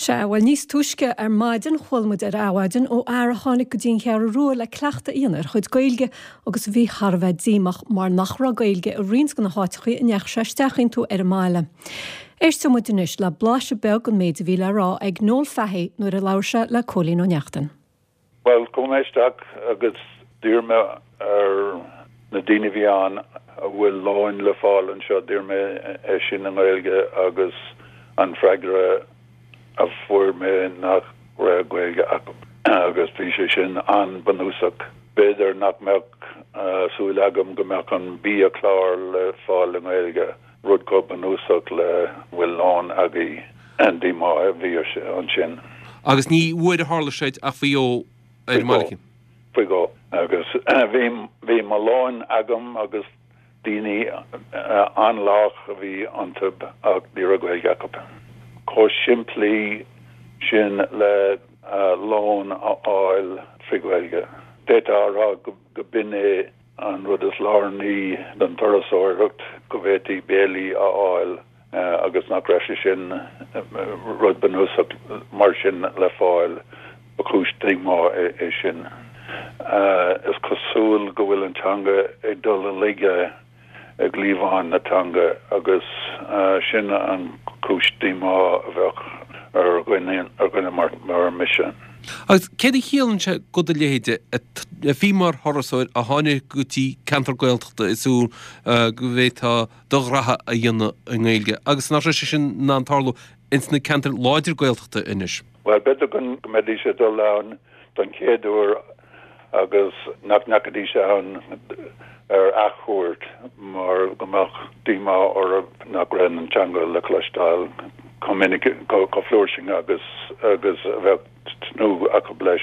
Sea, bhuel níos túisce ar maidin chuala muid ar Adhmhaidin ó fhear a tháinig go dtí an Cheathrú Rua le cleachtadh a dhéanamh ar a chuid Gaeilge agus a bhí thar a bheith díomách mar nach raibh Gaeilge i roinnt de na háiteachaí a ndeachaigh sé isteach iontu ar an mbaile. Éisteoidh muid anois le blaiseadh beag den méid a bhí le rá ag Noel Fahey nuair a labhair sé le Cóilín Ó Neachtain. Bhuel, chuaigh mé isteach agus d'iarr mé ar na daoine a bhí ann an bhfuil lón le fáil anseo, d'iarr mé é sin i nGaeilge agus an freagra a fuair mé nach raibh Gaeilge acu agus bhí sé sin an-bhunúsach. B'fhéidir nach mbeadh súil agam go mbeadh an biachlár le fáil i nGaeilge. Rud chomh bunúsach le bhfuil lón agaibh, díomá a bhí ansin. Agus ní uair a tharla sé ach faoi dhó ar an mbaile. Faoi dhó. Agus bhí, bhí mo lón agam agus daoine an-lách a bhí iontu ach ní raibh Gaeilge acu. Chomh simplí sin le lón a fháil trí Ghaeilge. D'fhéadfá a rá go b'in é An rud is lárnaí don turasóireacht, go bhféadfaí béilí a fháil agus nach raibh sé sin, rud bunúsach mar sin le fáil, ba chúis díomá é sin. Is cosúil go bhfuil an teanga ag dul i laige i gcliabhán na teanga agus sin an chúis díomá a bheadh ar dhuine mar mise. Agus céard a chiallaíonn sé go do leithéide, a bhí mar thurasóir a tháinig go dtí ceantar Gaeltachta ag súil go bhféadfá do ghraithe a dhéanamh i nGaeilge agus nach raibh sé sin in ann tarlú ins na ceantair láidir Gaeltachta anois? Bhuel, b'fhéidir go mbeidís ag dul ann don chéad uair agus nach ndeachaidís ann ar athchuairt mar go mbeadh díomá orthu nach raibh an teanga le cloisteáil chomh minic, chomh flúirseach agus agus a bheadh tnúth acu leis.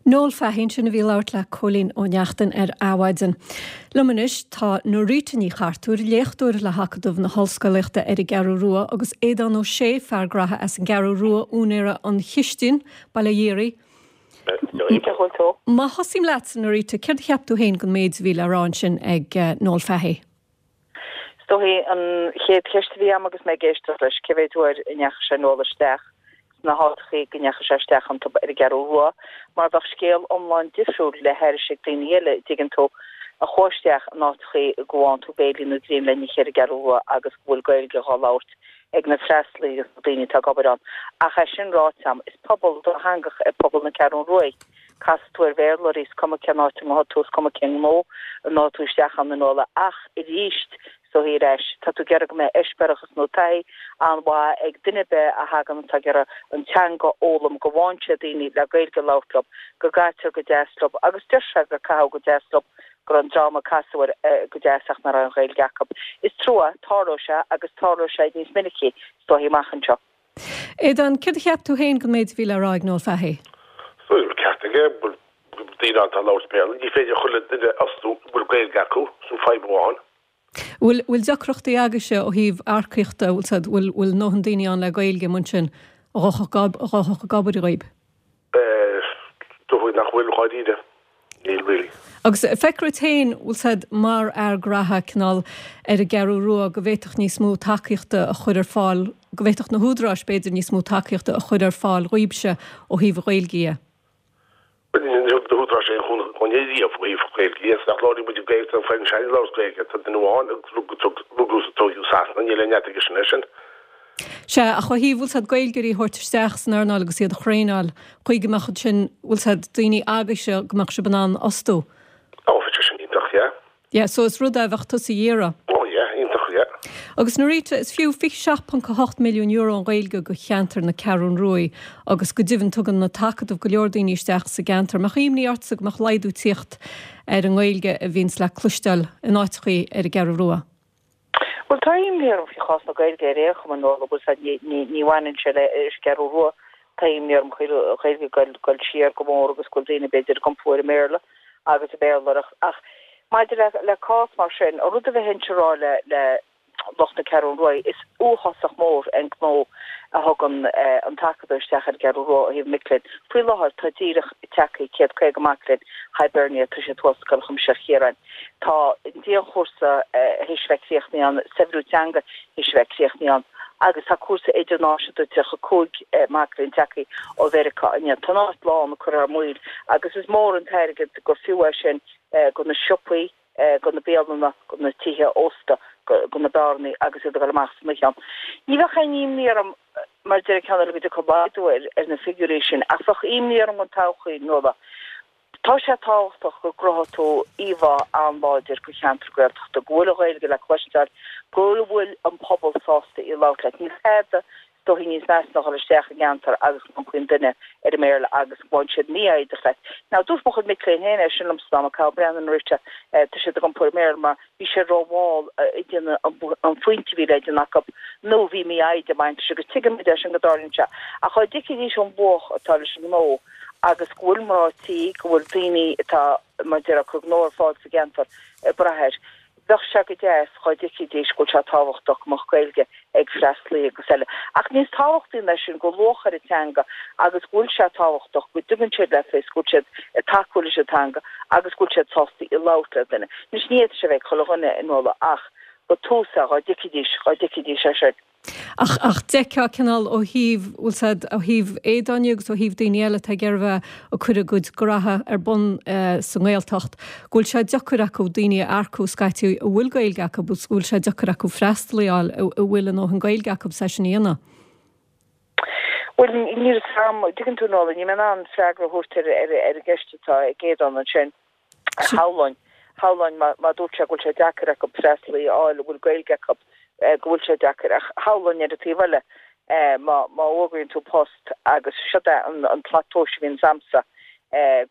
Noel Fahey ansin a bhí ag labhairt le Cóilín Ó Neachtain ar Adhmhaidin. Liom anois tá Norita Ní Chartúir, léachtóir le hAcadamh na hOllscolaíochta ar an gCeathrú Rua agus Aodán Ó Sé, fear graithe as an gCeathrú Rua, úinéara An Chistin, Baile Dhéirí. Má thosaím leatsa, Norita, céard a cheap tú féin den méid a bhí le rá ansin ag Noel Fahey? Is dóichí an chéad cheist a bhí agam agus mé ag éisteacht leis, cé mhéid uair a ndeachaigh sé Noel isteach sna háiteachaí go ndeachaigh sé isteach iontu ar an gCeathrú Rua, mar bheadh scéal iomlán difriúil le haithris ag daoine eile, a dtuigeann tú, a chuaigh isteach in áiteachaí go bhfaigheann tú béilí nó greim le n-ithe ar an gCeathrú Rua agus go bhfuil Gaeilge dhá labhairt ag na freastalaithe agus na daoine atá ag obair ann. Ach é sin ráite agam, is pobal dátheangach é pobal na Ceathrún Ruaidh. Casfaidh tú ar Bhéarlóirí, is cuma cén áit a ngabhfaidh tú, is cuma cén gnó a ngabhfaidh tú isteach ann a Nuala. Ach arís, is dóichí ar ais, tá tú ag iarraidh go mbeidh eispéireachas nó taithí an-mhaith ag duine ar bith a thagann atá ag iarraidh an teanga a fhoghlaim, go bhfaigheann sé daoine le Gaeilge a labhairt leo, go gcaitear go deas leo agus deir sé gur caitheadh go deas leo go raibh an dream a casadh air go deas ach nach raibh an Ghaeilge acu. Is trua, tarlóidh sé agus tarlóidh sé níos minicí is dóichí amach anseo. Aodán, céard a cheap tú féin den méid a bhí le rá ag Noel Fahey? Is dóigh go bhfuil ceart aige, bhfuil daoine ann atá ag labhairt Béarla, ní féidir chuile duine a fhostú a bhfuil Gaeilge acu, sin fadhb amháin. Bhfuil, bhfuil deacrachtaí agaibhse ó thaobh earcaíochta, bhfuil said, bhfuil, bhfuil a ndóthain daoine ann le Gaeilge mar sin a ghabhfadh ag obair dhaoib? Is dóigh nach bhfuil, dháiríre. Níl, really. Agus feictear duit féin, bhfuil said, mar fhear graithe, cineál, ar an gCeathrú Rua, go bhféadfadh níos mó tacaíochta a chur ar fáil, go bhféadfadh na húdaráis, b'fhéidir, níos mó tacaíochta a chur ar fáil dhaoibhse ó thaobh an Ghaeilge dhe? Bhuel, ní thug na húdaráis aon chúnamh dúinn riamh ó thaobh Gaeilge dhe. Is nach labhraíonn muid an Ghaeilge, tá an foireann seo ag labhairt Gaeilge. Tá duine amháin a rugadh is a tóigeadh i Sasana, níl aon neart aige sin air sin. Sea, ach ó thaobh, bhfuil said, Gaeilgeoirí a thabhairt isteach san earnáil agus iad a thraenáil, chaoi go mbeadh ansin, bhfuil said, daoine agaibhse go mbeadh sibh in ann fhostú. Ó, bheadh sé sin iontach, yeah. Yeah, so is rud é a bheadh tusa a iarraidh. Ó, yeah, iontach, yeah. Agus Norita, is fiú €27.8 milliún an Ghaeilge go cheantar na Ceathrún Ruaidh agus go deimhin tugann an tAcadamh go leor daoine isteach sa gceantar. Mbeadh imní ortsa go mbeadh laghdú tíocht ar an nGaeilge a bhíonns le cloisteáil in áiteachaí ar an gCeathrú Rua? Bhuel, tá imní orm faoi chás na Gaeilge ar aon chuma, Nuala, bhfuil 's a'd, ní bhaineann sé le an gCeathrú Rua. Tá imní orm faoi Ghaeilge ag dul siar go mór agus go bhfuil daoine b'fhéidir ag iompú ar an mBéarla agus ag Béarlóireacht. Ach maidir le cás mar sin, an rud a bheinnse a rá le le lucht na Ceathrún Ruaidh, is uafásach mór an gnó a thugann an tAcadamh isteach ar an gCeathrú Rua ó thaobh mic léinn. Faoi láthair tá díreach tagtha 150 mac léinn Hibernia, tá siad thuas Scoil Chuimsitheach Chiaráin. Tá an dianchúrsa théis a bheith críochnaithe ann, saibhriú teanga théis a bheith críochnaithe ann. Agus tá cúrsa idirnáisiúnta, 35 mac léinn tagtha ó Mheiriceá inné. Tá an áit lán ag cur thar maoil agus is mór an t-airgead gur fiú é sin go na siopaí, go na bialanna, go na tithe ósta, go na beárannaí agus iad ag dul amach san oíche ann. Ní bheadh aon imní orm, mar a deir an ceann eile, go dtiocfadh laghdú ar na figiúirí sin ach bheadh imní orm don todhchaí, Nuala. Tá sé tábhachtach go gcruthóidh tú íomhá an-láidir go cheantar Gaeltachta, go bhfuil an Ghaeilge le cloisteáil, go bhfuil an pobal sásta í a labhairt leat. Níl tada is dóichí níos measa ná dhul isteach i gceantar agus go n-iompaíonn duine ar an mBéarla agus go bhfaigheann siad mífhoighdeach leat. Now, dúirt mo chuid mic léinn féin é sin liomsa dá mba Cathal Brennan rite, tá siad ag iompú ar an mBéarla mar bhí siad rómhall ag déanamh an phointe a bhí le déanamh acu nó bhí mífhoighde ag baint leis agus tuigimid é sin go dtarlaíonn sé. Ach dá dtuigfidís an luach atá leis an ngnó agus go bhfuil mná tí, go bhfuil daoine atá, mar a déarfá, ag cur gnó ar fáil sa gceantar ag brath air. Bheadh sé go deas dhá dtuigfidís go bhfuil sé tábhachtach go mbeadh Gaeilge ag freastalaí agus eile. Ach níos tábhachtaí ná sin, gur luach ar an teanga agus go bhfuil sé tábhachtach go dtugann siad le fios go bhfuil siad ag tacú leis an teanga agus go bhfuil siad sásta í a labhairt le duine. Anois ní fhéadfaidh sé a bheith ag chuile dhuine, a Nuala, ach gur tús é dhá dtuigfidís, dhá dtuigfidís é sin. Ach, ach d'fheicfeá cineál ó thaobh, bhfuil 's a'd, ó thaobh Aodáin agus ó thaobh daoine eile atá ag iarraidh a bheith ag cur a gcuid graithe ar bun sa nGaeltacht, go bhfuil sé deacair acu daoine a earcú scaití a bhfuil Gaeilge acu agus go bhfuil sé deacair acu freastalaí a fháil a bhfuil a ndóthain Gaeilge acu é sin a dhéanamh. Bhuel, níl 'fhios a'm, dtuigeann tú Nuala, níl mé in ann freagra a thabhairt ar ar an gceist atá ag Aodán ansin. Shamhlóinn, shamhlóinn má, má dúirt sé go bhfuil sé deacair acu freastalaí a fháil a bhfuil Gaeilge acu, go bhfuil sé deacair. Ach shamhlóinn ar an taobh eile, má, má fhógraíonn tú post agus siod é an, an tslat tomhais a bhíonns a'msa,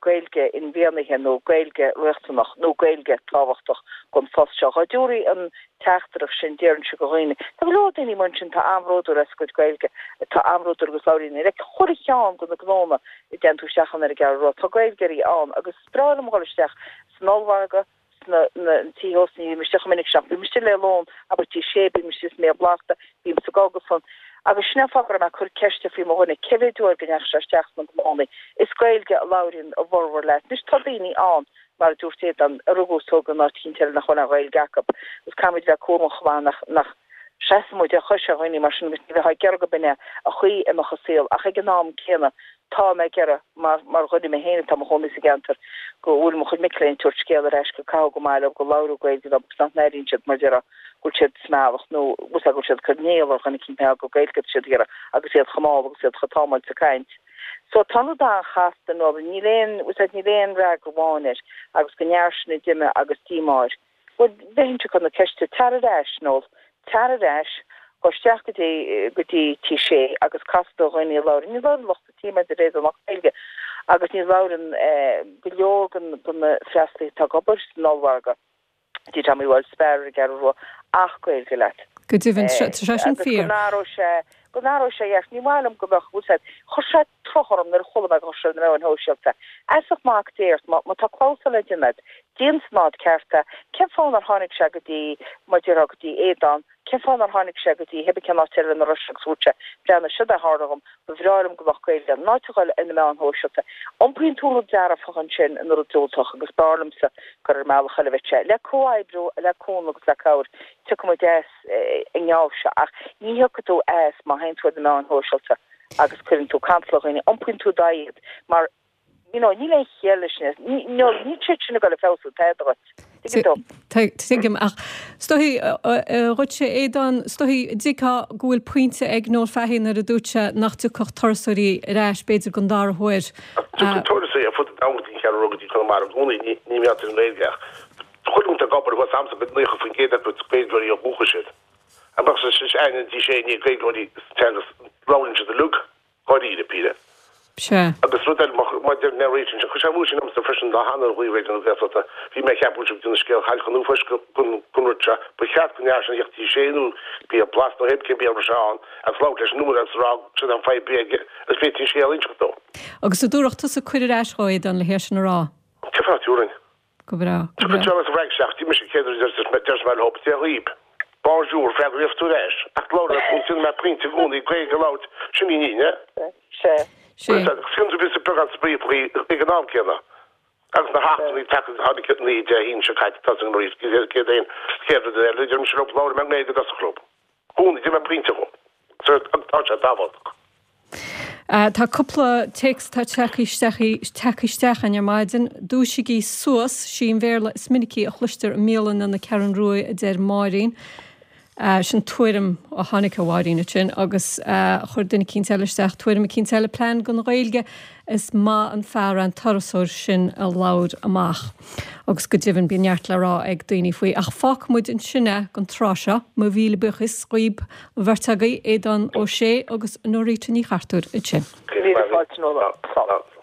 Gaeilge inmhianaithe nó Gaeilge riachtanach nó Gaeilge tábhachtach don phost seo. Dhá dtabharfaí an teachtaireacht sin, déarfainnse go dhaoine, tá go leor daoine amuigh ansin atá an-bhródúil as a gcuid Gaeilge, atá an-bhródúil agus labhraíonn i chuile cheann de na gnónna a dtéann tú isteach ann ar an gCeathrú Rua, tá Gaeilgeoirí ann agus Is breá liom a dhul isteach san ollmhargadh, sna tithe ósta, ní bhím istigh chomh minic sin ach bím istigh le lón, abair Tigh Sé, bím istigh sa mBéal Blasta, bím sa gcógaslann. Agus sin é an fáth go raibh mé ag cur ceiste faoi mo dhuine, cé mhéad uair go ndeachaigh sé isteach sna gnónnaí. Is Gaeilge a labhraíonn a bhformhór leat. Anois tá daoine ann, mar a dúirt Aodán, a rugadh is tógadh in áit eicínt eile nach bhfuil aon Ghaeilge acu. Agus caithfimid bheith cúramach chomh maith nach, nach seasann muid ar chois ar dhaoine mar sin agus ní bheifeá ag iarraidh go b'in é an chaoi a mbeadh an saol ach ag an am céanna Tá mé ag iarraidh, mar mar dhuine mé féin atá i mo chónaí sa gceantar, go bhfuil mo chuid mic léinn ag tabhairt scéal ar ais gur caitheadh go maith leo, go labhradh Gaeilge leo agus nach n-airíonn siad, mar a déarfá, go bhfuil siad sa mbealach nó bhfuil 's agat go bhfuil siad ag cur néal ar dhuine eicínt mar gheall gur Gaeilge atá siad ag iarraidh agus iad chomh mall agus iad chomh támáilte ag caint. So tá an rud an-chasta nó níl aon, bhfuil 's agat, níl aon fhreagra amháin air agus go ndear sin a d'imigh agus díomá air. Bhuel, bheinnse ag cur na ceiste, tar ar ais, Noel, tar ar ais, gabh isteach go dtí, go dtí Tigh Sé agus cas do dhaoine a labhrann, ní labhrann lucht an tí mar a deir Aodán ach Gaeilge agus ní labhrann go leor de na freastalaithe atá ag obair san ollmhargadh, Tigh Tommy Walsh, Spar ar an gCeathrú Rua ach Gaeilge leat. Go deimhin, tá sé sin Agus go fíor. n-athródh sé, go n-athródh sé a dhearcadh. Ní maith liom go mbeadh, bhfuil 's agat, chuir sé truth orm nuair a chuala mé go raibh sé ar na meáin shóisialta. Fheasacht mac Dé ort, má tá clamhsán le déanamh agat, déan san áit ceart é. Cén fáth nár tháinig sé go dtí, mar a déarfá, go dtí Aodán, cén fáth nár tháinig sé go dtí cibé cén áit eile ina raibh sé agus dúirt sé, breathnaigh, siod é a tharla dhom, ba bhreá liom go mbeadh Gaeilge ann. In áit a dhul ar na meáin shóisialta, iompaíonn tú rud dearfach ansin ina rud diúltach agus b'fhearr liomsa gur ar an mbealach eile a bheadh sé. Le comhoibriú, le cúnamh agus le cabhair, tiocfaidh muid as an ngeábh seo ach ní thiocfaidh tú as má théann tú ar na meáin shóisialta agus cuireann tú cantal ar dhaoine, iompaíonn tú d'aghaidh iad mar you know níl aon chiall leis sin, níl siad sin ag dul ag feabhsú tada dhuit. Tuigeann tú? Tuigim, ach is dóichí dhuitse Aodán, is dóichí dtuigfeá go bhfuil pointe ag Noel Fahey nuair a dúirt sé nach dtiocfadh turasóirí ar ais b'fhéidir don dara huair. Tiocfaidh turasóirí ar fud an domhain go dtí an Cheathrú Rua go dtí Conamara i gcónaí, ní mar gheall ar an nGaeilge ach chuile dhuine atá ag obair thuas a'msa 90% acu is Gaeilgeoirí ó dhúchas iad. An mbeadh sé sin aithne dtí sé ní Gaeilgeoirí sa teanga labhraíonn siad uilig dháiríre píre. Sea. Agus rud eile maidir le réiteach ansin, chuir sé amú sin ormsa freisin lá cheana ar ghlaoigh Raidió na Gaeltachta, bhí mé ag ceapadh go raibh sibh ag déanamh scéal chailleach an uafáis den rud seo, ba cheart go ndearna sé a theacht Tigh Sé nó Béal Blasta nó cibé cén béal a raibh sé ann agus labhairt leis an úinéir agus a rá siod an fadhb a bhí aige agus b'fhéidir an scéal a inseacht dó. Agus an dtabharfadh tusa cuireadh ar ais dhó, Aodán, le hé sin a rá? Cén fáth nach dtabharfainn? Go breá, go breá. Tiocfaidh sa bhFrainc isteach, mise céad uair deir mé leo, Dia dhaoib. Bonjour, freagraíodh tú ar ais. Ach labhair le tú, déanfaidh mé pointe i gcónaí, Gaeilge a labhairt, sin í an fhírinne. Sea. Sea. Sin tú píosa beagán spraoi faoi ag an am céanna. Agus na heachtrannaigh tagtha tháinig na Dé hAoine seo caite tá san arís, Céadaoin, chéad rud eile, deir mise leo, labhair mé i nGaeilge i dtosach leo. I gcónaí, déanfaidh mé pointe dhó. Tá sé tábhachtach. Tá cúpla téacs atá tagtha isteach tagtha isteach againn ar maidin. Dúisigí suas, sí an Bhéarla is minicí a chloistear i mbialanna na Ceathrún Rua a deir Máirín. Sin tuairim a tháinig ó Mháirín ansin agus chuir duine eicínt eile isteach tuairim eicínt eile, plean don Ghaeilge, is maith an fear é an turasóir sin a labhair amach. Agus go deimhin bíonn neart le rá ag daoine faoi. Ach fágfaidh muid ansin é don tráth seo. Mo mhíle buíochas dhaoib, an bheirt agaibh, Aodán Ó Sé agus Norita Ní Chartúir ansin. Míle fáilte Nuala. Slán.